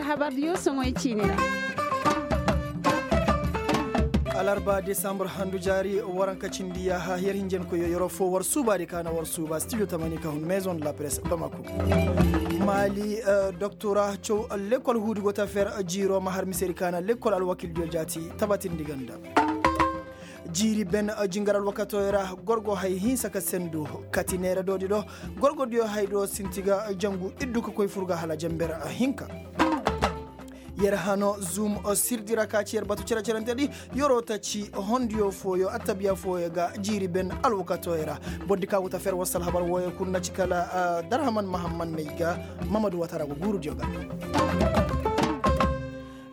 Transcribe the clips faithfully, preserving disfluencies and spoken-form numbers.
Habar diyo soŋoy ciine ra. Alarba desambur handu jaari waranka cindi yaaha yer hinjankoyo yeroo foo war suubaadi ka na war suuba studio tamani ka hun maison de la presse bamako. Maali doktora caw lekkol huudi go ta fer jiiroo ma har misedi ka na lekkol alwakildiyo jaati tabatindi ganda. Jiiri ben jingar alwakatooyo ra gorgo hay hinsa ka sendu kati neera doodi do gorgodiyo hay do sinti ga jangu iddu ka koy fur ga hala jamber hinka. Yer hano zum sirdi ra ka ci yer batu cere-cerentedi. Yeroo ta ci hondiyo fooyo attabiya fooyo ga jiiri ben alwakatooyo ra. Bordi ka wuta fer wasal habar wooyo kul na ci kala darhaman mahamman may ga mamadu watara go guurudiyo ga.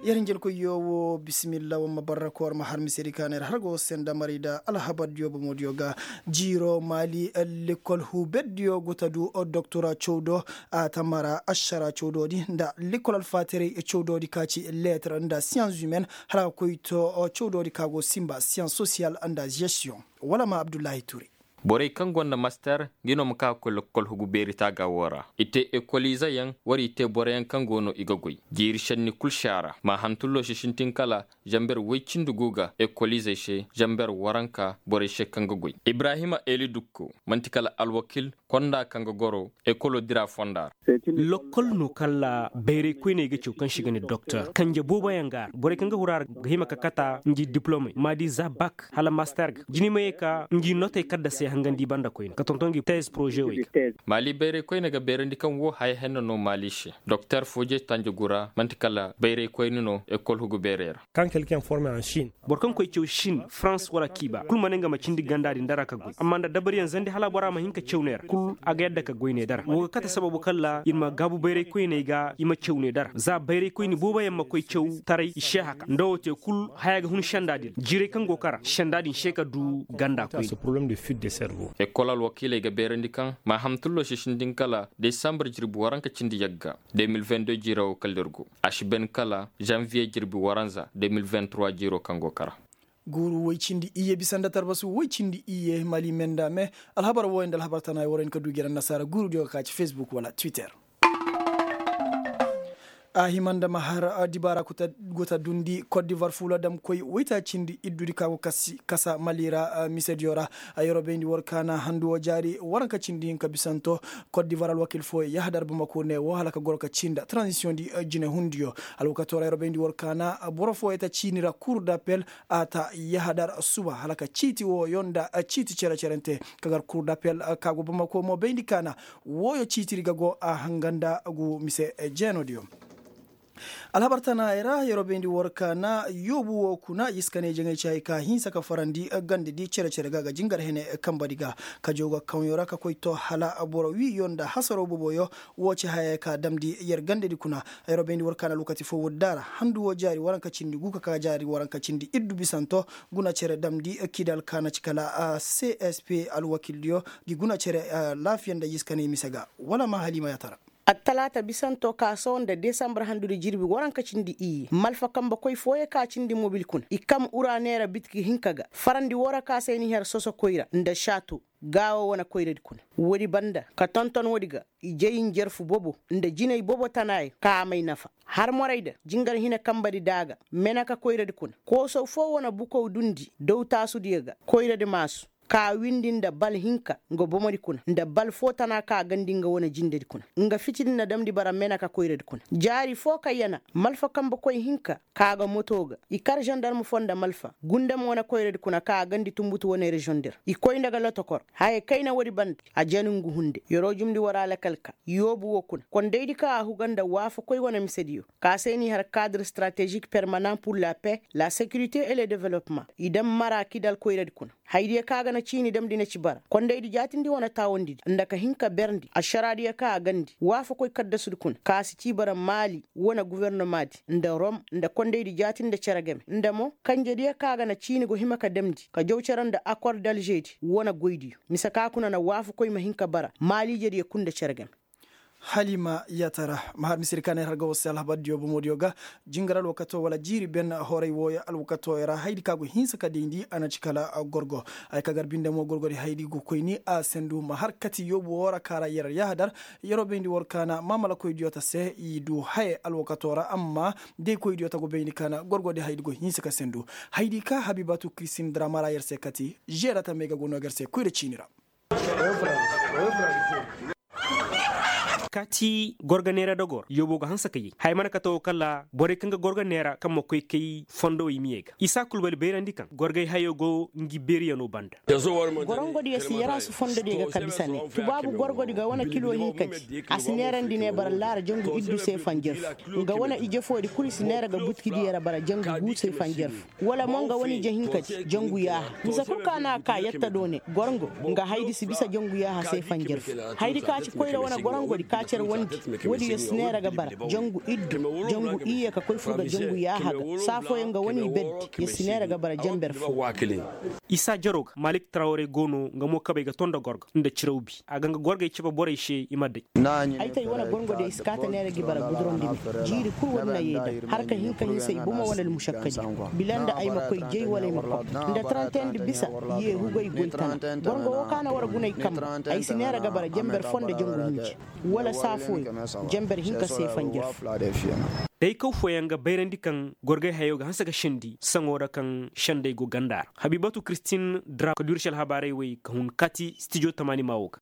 Yer hinjel koy yo wo bisimilla wamma barra koor ma har misedi ka neer har go senda mari da alhabar diyo bomo diyo ga. Jiiro maali lekkol huubet diyo go ta du doktora cawdo a ta mara ašara cawdo di nda lekkol alfaterey cawdo di ka ci leetar nda siyans humaine hala ka koy to cawdo di ka go simba siyans sosiyal nda gestiyon. Wala ma abdullahi ture. Borey kaŋ gonda master ngi no ma ka ga koy lokkol hugu beeri taaga woo ra i te ekoliizeyaŋ war i te boroyaŋ kaŋ go no i ga goy. Jiiri šenni kul si a ra ma hantulloo si sintin kala zamber woy cindi gu ga ekoliizey se zamber waranka borey se kaŋ ga goy. Ibrahima eli dukko man'ti kala alwakil konda kaŋ ga goro ekoloo dira fonda ra. Lokkol no kala bayray koyney ga caw kaŋ se i ga ne doktor kanje booboyaŋ ga a ra borey kaŋ ga huru a ra ga hima ka kata ngi diplomey ma di za bak hala master ga jini ma ye ka ngi notey kaddasey hangandi banda koyne ka tonton ngi tez porozewey ga. Maali bayray koyne ga beerandi kaŋ woo haya henna no maali se doktor fooje tanjegu ra man'ti kala bayray koyne no ekol hugu beerey ra. Kaŋ kelken forme en chine. Boro kaŋ koy caw chine farans wala kiiba kul ma ne nga ma cindi ganda din dara ka goy amma nda dabariyaŋ zandi hala bora ma hin ka caw ne ra kul a ga yadda ka goy ne dara woo ga kate sababu kala ir ma gaabu bayray koyney ga i ma caw ne dara za bayray koyne booboyaŋ ma koy caw taray i seeha ka nda woo te kul haya ga hun senda din jiiray kaŋ go kara senda din se ka du ganda koyne. Ekol alwakiiley ga beerandi kaŋ ma hamtullo si sindin kala desambar jirbi waranka cindi yagga de mil vingt deux jiiro woo kala ir go a si ben kala zanviye jirbi waranza de mil vingt trois jiiro kaŋ go kara. Guuru woy cindi iyye bisa nda tarbasu woy cindi iyye mali menda me. Alhabar wooyo nda alhabar tana ay wara hin ka du jere annasaara guurudiyo ga ka ci facebook wala twitter. A hima nda ma har dibaara go ta dundi kot divar fuula damkoy woyta cindi iddudi ka go kasa mali ra misediyo ra. Yeroo bayndi war kaana handuwo jaari waranka cindi hinka bisanto kot divar alwakil fooyo yahadar bamako ne wo hala ka goro ka cii nda transisiyoŋ di jinehundiyo. Alwakatoo ra yeroo bayndi war kaana boro fooyo ta ciini ra kur dapel a ta yahadar suba hala ka ciiti wooyo nda ciiti cere-cerente ka gar kur dapel ka go bamako mo bayndi kaana. Wooyo ciitiri ga go a hanga nda gu mise jeenodiyo. Alhabar tanaayey ra yeroo bayndi war kaana yoobu woo kuna i si ka ne jaŋay ci hay ka hinsa ka farandi gandadi cere-cere ga ga jingar hene kambadi ga. Ka jaw ga kaŋyo ra ka koy to hala boro wiiyo nda hasaroo boboyo. Woo ci hayey ka damndi yer gandadi kuna. Yeroo bayndi war kaana lokaci foo woodi daara handu woo jaari waranka cindi gu ka ka jaari waranka cindi iddu bisanto guna cere damndi kidal kaana ci kala csp alwakildiyo. Gi guna cere laafiya nda i si ka ne mise ga wala ma haliima yaatara. Attalaata bisanto ka sohõ nda desambur handudi jirbi waranka cindi iyye malfa kambe koy fooyo ka cindi mobil kuna i kam ura neera bitiki hinka ga farandi woo ra ka se ni har soso koyra nda šaato. Gaawo wane koyradi kuna woodi banda ka tonton woodi ga i jay njarfu bobo nda jinay bobo tanaayo ka a may nafa har morayda jingar hine kambadi daaga meneka koyradi kuna koosow foo wane bukow dundi daw taasudiyo ga koyradi maasu ka windi nda bal hinka nga bomodi kuna nda bal foo tana ka gandi nga wane jindedi kuna nga fitidi na damndi bara meneka koyradi kuna jaari foo ka yana malfa kambe koy hinka ka ga moto ga i kar zandarm foo nda malfa gundam wane koyradi kuna ka a gandi tunbutu wane rezondi ra i koy nda ga lotokor haya kayna woodi banda a jani ngu hunde yeroo jumndi war alakal ka yoobu woo kuna kondaydi ka a huga nda waafakoy wane misediyo ka se n'i har kadir stratezik permanan pur la paix la sekirite e le developement i daŋ mara kidal koyradi kuna haydiyo ka ga na ciini damndi na ci bara kondaydi jaatindi wane taawandidi nda ka hin ka berndi ašaraadiyo ka a gandi waafakoy kaddasudi kuna ka si ci bara maali wane gufornomaadi nda rom nda kondaydi jaatindi nda cere game nda mo kanjediyo ka ga na ciini go hima ka damndi ka jaw cere nda akor dalžedi wane goydiyo mise ka kuna na waafakoy ma hin ka bara maaliijediyo kul nda cere game. Halima yatara. Mahar misiri ka na ir har ga war se alhabar diyo bomo diyo ga. Jingar alwakato wala jiiri ben horay wooyo alwakato ra haydi ka go hinsa ka dayndi a na ci kala gorgo. Ay ka gar binde mo gorgodi haydi go koyni a sendu ma har kati yoobu woo ra ka ra yer yahadar. Yeroo bayndi war ka na maamalakoy diyo ta se i du haye alwakato ra amma day koy diyo ta go bayndi ka na gorgodi haydi go hinsa ka sendu. Haydi ka habibatu kristin dramara yer se kati. Žeera tamey ga go no ga yer se koyra ciini ra. Kaati gorga neera dogor yoobo ga hanse ka yay haya mana kate woo kala borey kaŋ ga gorga neera kaŋ ma koy kay fondowey miyey ga isa kulbali bayrandi kaŋ gorgay hayo go ngi beeriyano banda. Gorongodiyo si yaraasu fondodiyo ga kabisa ne tubaabu gorgodi ga wane kilo hinkadi a si neerandi ne bara laara jangu iddu se fanjarfu. Nga wane ije foodi kulu i si neera ga butkidiyey ra bara jangu guusey fanjarfu. Wala mo nga wane ije hinkadi jangu yaaha. Mise kul ka no a ka yatta do ne gorongo nga haydi si bisa jangu yaaha se fanjarfu. Haydi ka ci koyra wane gorongodi ka cere wandi. Woodiyo si neera ga bara jangu iddu jangu iyye ka koy fur ga jangu yaaha ga saa fooyaŋ nga wane i berdi ya si neera ga bara janber fo. Isa jaroo ga malik trawre go no nga mo kabey ga ton nda gorga nda ciraw bi a ga nga gorgey cabe borey se i ma day. Ay tay wane gorngodiyo i si kaa ta neera gi bara gudurandi me. Jiiri kul woodi na yee daŋ har ka hin ka hisa i bomo wala almušakkadi. Bila nda ay ma koy jay wala ay ma koy nda tarantendi bisa. Yee hugay goy tana. Gorngo woo ka na war gunay kambe. Ay si neera ga bara janber foo nda jangu hinji wala saa fooyaŋ janber hinka se fanjar fo. Daykaw fooyaŋ ga bayrandi kaŋ gorgay hayo ga hanse ga sendi saŋo ra kaŋ sendey go ganda ra. Habibatu kristin dra ka du ir se alhabaarey wey ka hun kaati stijo tamaani maa woo ga.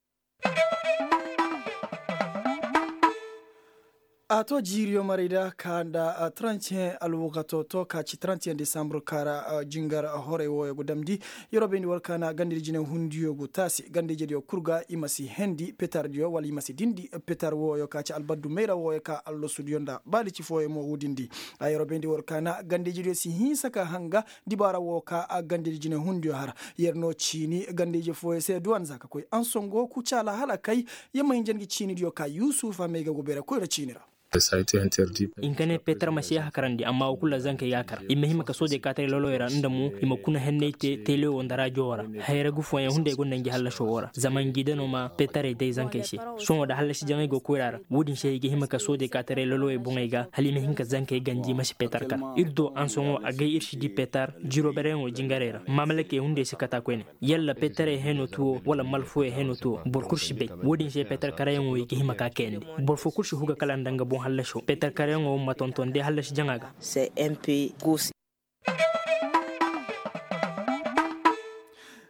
A to jiiriyo marayda ka nda trentiyen alwakato to ka ci trentiyen desambre ka ra jingar horey wooyo go damndi. Yeroo bayndi war ka na gandadi jine hundiyo go taasi gandadi jediyo kul ga i ma si hendi petardiyo wala i ma si dindi. Petar wooyo ka ci albaddu mayra wooyo ka allasudiyo nda baalici fooyo mo wudindi. A yeroo bayndi war ka na gandadi jediyo si hinsa ka hanga dibaara woo ka a gandadi jine hundiyo har. Yer no ciini gandadi fooyo se duwan za ka koy ansongo kucaala hala kay. Yer ma hinja ngi ciinidiyo ka yuusufa may ga go beere koyra ciini ra. I nka ne petar ma si yee hakarandi amma woo kul ra zankey ga a kar i ma hima ka soojey kaataray lolowey ra nda mo i ma kuna henney te telewo nda raajo woo ra. Hayra gu fooyaŋ hunday gonda ngi hallasoo woo ra zama ngi da no ma petarey day zankey se. Sohõ da hallasi jaŋay go koyra ra woodin se i ga hima ka soojey kaataray lolowey boŋey ga hala i ma hin ka zankey ganji ma si petar kar. Ir do ansoŋo agay ir si dii petar jirobereyaŋo jingarey ra maamalakey hunday si kata koyne. Yalla petarey heno tuwo wala malfoyey heno tuwo boro kul si bay. Woodin se petar karayaŋo i ga hima ka kayandi. Boro foo kul si huga kala nda nga boŋ hallasoo petar karayaŋo ma tonton day hallasi jaŋa ga.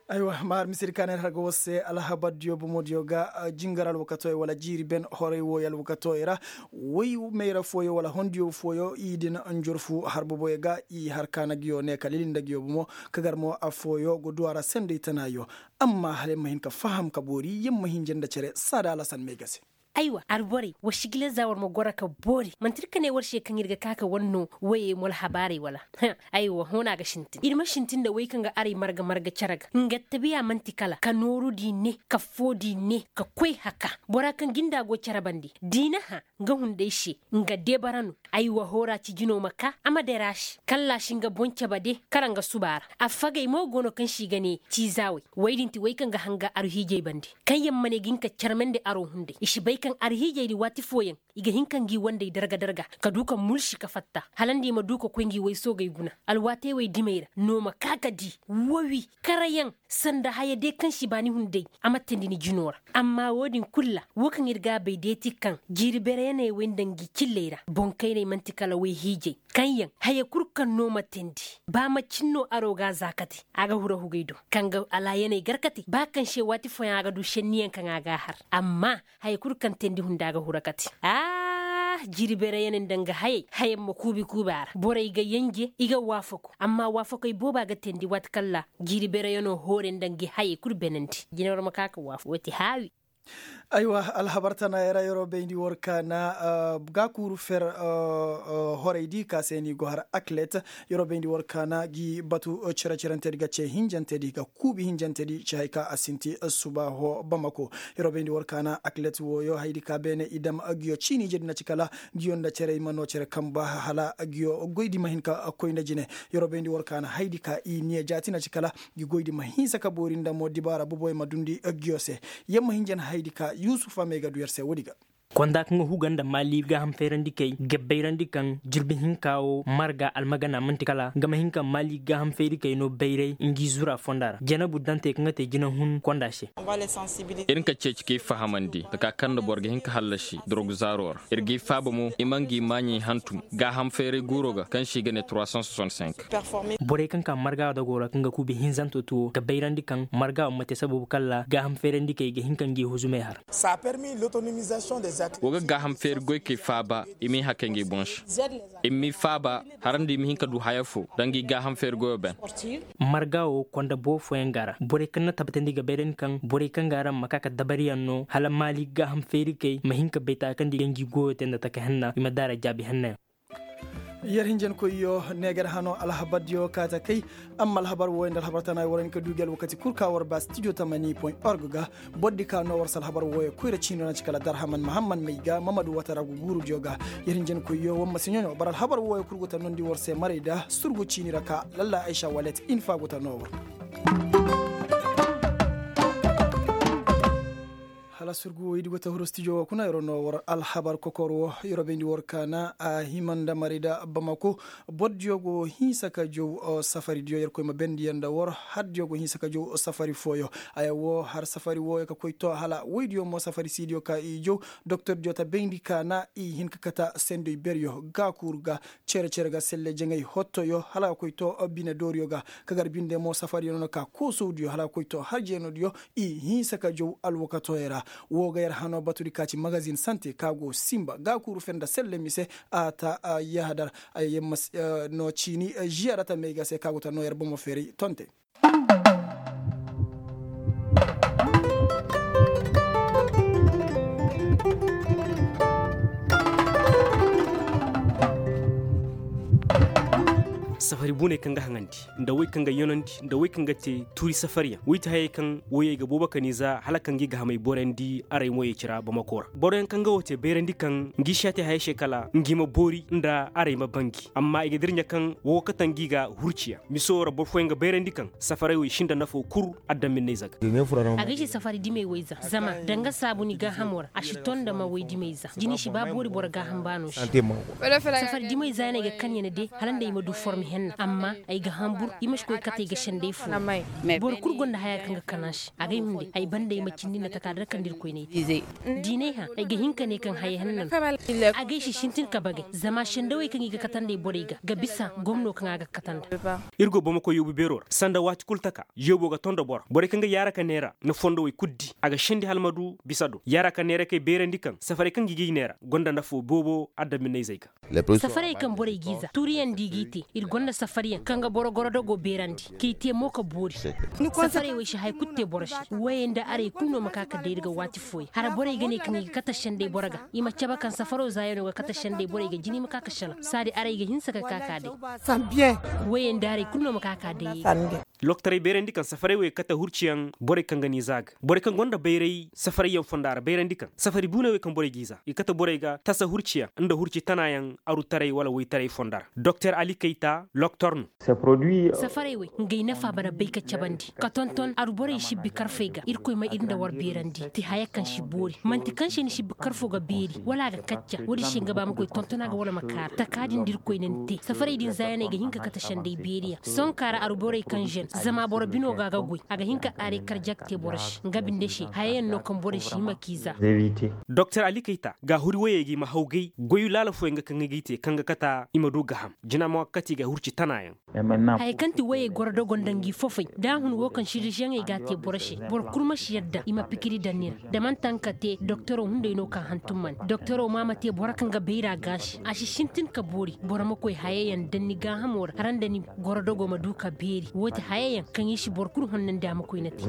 Aywa maar misiri ka neer har ga war se alhabar diyo bomo diyo ga. Jingar alwakatoy wala jiiri ben horay wooyo alwakatoy ra. Woy mayra fooyo wala hondiyo fooyo i din njorfu har boboyo ga i har kaana giyo ne ka lili nda giyo bomo. Ka gar mo affooyo go du a ra sendey tanaayo. Amma hala yer ma hin ka faham ka boori yer ma hinja nda cere saada alasan may ga se. Aywa alborey war si gila za war ma goro ka boori manti ir ka ne war se kaŋ ir ga ka ka war no woyey mo alhabaarey wala? Aywa hõ no a ga sintin ir ma sintin nda wey kaŋ ga aray marga marga cere ga nga tabiya man'ti kala ka noorudi ne ka foodi ne ka koy haka. Bora kaŋ ginda go cere bande diina hã nga hunday se nga debara no. Aywa hoora ci jino ma ka a ma dera se kalla si nga boŋ cebe de kala nga suba ra. Affagey mo go no kaŋ si ga ne ciizaawey. Woy din ti woy kaŋ ga hanga aruhiijey bande kaŋ yaŋ ma ne ga hin ka carmandi aro hunday i si bay kaŋ aruhiijey di waati fooyaŋ i ga hin ka ngi wandey darga darga ka du ka mulsi ka fatta hala nda i ma du ka koy ngi woy soogey guna. Alwaatey wey dimey ra no ma ka ka di wowi karayaŋ sanda haya de kaŋ si ba ni hunday a ma teendi ni jino ra. Amma wo-din kulu ra wo kaŋ ir ga a bay deeti kaŋ jiiri bereyaney wey nda ngi cilley ra boŋkayney man'ti kala woy hiijey kaŋ yaŋ haya kulu kaŋ no ma teendi ba macin no aro ga a za kate a ga huru hugey do kaŋ ga alaayaney gar kate ba kaŋ se waati fooyaŋ a ga du senniyaŋ kaŋ a ga a har. Amma haya kulu kaŋ teendi hunda ga huru kate. Ah jiiri bereyaney nda nga hayey hayaŋ ma kuubi kuubi a ra borey ga yenje i ga waafaku amma waafakey booba ga teendi waati kaŋ ra jiiri bereyanoo hoore nda ngi hayey kulu beenandi jina war ma ka ka waafaku woo ti haawi. Aywa alhabar tana yer ra yeroo bayndi war kaana ga kuuru fer horey di ka se ni go har aklet. Yeroo bayndi war kaana gi batu cere-cerentedi ga ce hinjantedi ga kuubi hinjantedi ci hay ka a sinti subaaho bamako. Yeroo bayndi war kaana aklet wooyo haydi ka beene i dam giyo ciini ijedi na ci kala giyo nda cerey ma noo cere kamba hala giyo goydi ma hin ka koy nda jine. Yeroo bayndi war kaana haydi ka i niya jaati na ci kala gi goydi ma hinsa ka boori nda mo dibaara boboy ma dundi giyo se. Yer ma hinjan haydi ka yuusufa may ga du yer se woodi ga. Konda kaŋ ga huga nda maali gaaham fayrandikey ga bayrandi kaŋ jirbi hinka wo marga almagana man'ti kala nga ma hin ka maali gaaham fayrikey no bayray ngi zura fonda ra janabu dantey kaŋ ga te jinahun konda se. Ir nka ceeci k'i fahamandi taka kaŋ nda boro ga hin ka hallasi dorog zaaro ra. Ir g'i faaba mo i ma ngi maaɲey hantum gaaham fayray guuro ga kaŋ se i ga ne trois cent soixante-cinq. Borey kaŋ ka marga dogo ra kaŋ ga kuubi hinzanto tuwo ga bayrandi kaŋ marga wo ma te sababu kala gaaham fayrandikey ga hin ka ngi huzumey har. Wo ga gaaham feeri goykey faaba i m'i hakay ngi boŋ se. I m'i faaba har nda i ma hin ka du haya fo da ngi gaaham feeri goyo ben. Marga wo konda boo fooyaŋ ga ra borey kaŋ na tabbatandi ga bayrandi kaŋ borey kaŋ ga ra ma ka ka dabariyaŋ no hala maali gaaham feerikey ma hin ka bay taakandi ga ngi goyo te nda taka henna i ma daara jaabi hennayaŋ. Yer hinjankoyyo neegar hano alhabardiyo kaata kay. Amma alhabar wooyo nda alhabar tana war hin ka du gi alwakati kul ka war ba stijo tamani point org ga. Bordi ka no war si alhabar wooyo koyra ciino na ci kala darhaman mahamman may ga mamadu watara gu guurudiyo ga. Yer hinjankoyyo war ma si ɲoɲo bara alhabar wooyo kul go ta nondi war se maray da surgu ciini ra ka lalla aysa walet infa go ta no war. Hala surgu wo i di go ta huru stijo wo kuna yero no war alhabar kokor wo yero bayndi war kaana a hima nda mari da bamako. Bordiyo go hinsa ka jow safaridiyo yerkoy ma bendiyaŋ nda war hardiyo go hinsa ka jow safari fooyo. Aya wo har safari wooyo ka koy to hala woydiyo mo safari siidiyo ka i jow. Doktordiyo ta bayndi kaana i hin ka kata sendoy beryo gaakuuru ga cere-cere ga selle jaŋay hottoyo hala ga koy to bine dooriyo ga. Ka gar binde mo safariyo no na ka koosowdiyo hala ga koy to har jeenodiyo. I hinsa ka jow alwakatoyey ra. Wo ga yer hano batudi ka ci magazin sante ka go simba gaakuuru fe nda selle mise. A ta yahadar. No ciini ziyarata may ga se ka go ta no yer bomo feeray tonte. Safari buney kaŋ ga haŋandi nda wey kaŋ ga yonandi nda wey kaŋ ga te tuuri safariyaŋ wey ti hayey kaŋ woyey ga boobo ka n'i za hala kaŋ ga i ga hamey borandi aray moyey ci ra bamako ra boroyaŋ kaŋ ga wo te bayrandi kaŋ ngi si a te hayey se kala ngi ma boori nda aray ma bangi amma i ga dirɲa kaŋ wo ga kate ngi ga hurciyaŋ miso ra boro fooyaŋ ga bayrandi kaŋ safaray wey sinda nafo kul adaminney zaga. A ga ay se safari dimey wey za zama danga saabu ni gaahamo ra a si ton nda ma wey dimey za jini si ba boori boro gaaham baano se. Safari dimey za yaŋ ay ga kan ya na de hala nda ay ma du forme henna amma ay ga hambur i ma si koy kate ay ga senday fo. Boro kul gonda haya kaŋ ga kan a se a ga ay hunde ay banda ay ma cindi nda taka da kaŋ nda irkoy n'ay te. Diinay hã ay ga hin ka ne kaŋ haya henna no. A ga ay si sintin ka bagay zama sendawey kaŋ i ga katandi ay borey ga ga bisa gomno kaŋ a ga katanda. Ir go bomokoy yoobu beero ra sanda waati kulu taka yoobo ga ton nda boro borey kaŋ ga yaara ka neera na fondowey kulu di a ga sendi hala ma du bisa do yaara ka neera kay beerandi kaŋ safarey kaŋ ga i g'i neera gonda nafo boobo adaminney zey ga. Safarey kaŋ borey g'i za tuuriyaŋ da i g'i te ir gonda safariyaŋ kaŋ ga boro gorodogo beerandi k'i te mo ka boori. Safarey wey si haya kulu te boro se woyey nda arey kulu no ma ka ka day ir ga waati fooyaŋ hara borey ga ne kaŋ i ga kate sendey boro ga i ma cabe kaŋ safaro zaayano ga kate sendey borey ga jina i ma ka ka selaŋ saadi arey ga hinsa ka ka ka day. Woyey nda arey kulu no ma ka ka day. Lokotaray bayrandi kaŋ safarey wey ga kate hurciyaŋ borey kaŋ ga n'i za ga borey kaŋ gonda bayray safarayyaŋ fonda ra bayrandi kaŋ safari buuney wey kaŋ borey g'i za i ga kate borey ga tasa hurciyaŋ nda hurci tanayaŋ arutaray wala woytaray fonda ra doktor ali kayta lokotor no. Safarey wey ngey nafa bana bay ka cabandi ka tonton aru borey sibbi karfey ga irkoy ma ir nda war beerandi te haya kaŋ si boori man'ti kaŋ se ni sibbi karfo ga beeri wala a ga kacca woodin se nga ba ma koy tontona ga wala ma kaara taka din da irkoy na ni te safarey din zaayaney ga hin ka kate sendey beeriyaŋ sohõ kaara aru borey kaŋ zen zama boro bino ga a ga goy a ga hin ka aray karjak te boro se nga binde se hayayaŋ no kaŋ borey si hima k'i za. Doktor ali kayta ga huri woyey ga i ma hawgay goy laala fooyaŋ ga kaŋ ga i te kaŋ ga kata i ma du gaham jina mo ga kate i ga hurci tanayaŋ. Haya kaŋ ti woyey goro dogo nda ngi fofey da a hun wo kaŋ siriziyeŋey ga a te boro se boro kulu ma si yadda i ma pikiri daŋ ni ra da man'ti haŋ ka te doktoro hunday no ka hantum man doktoro ma ma te boro kaŋ ga bayra gaasi a si sintin ka boori boro ma koy hayayaŋ daŋ ni gaahamo ra hara nda ni goro dogo ma du ka beeri wo ti hayayaŋ kaŋ i si boro kulu honnandi a ma koy na te.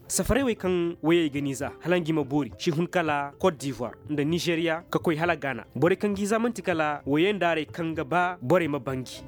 Safarey wey kaŋ woyey ga n'i za hala ngi ma boori si hun kala kot divoir nda nizeriya ka koy hala gaana borey kaŋ g'i za man'ti kala woyey nda arey kaŋ ga ba borey ma bangi.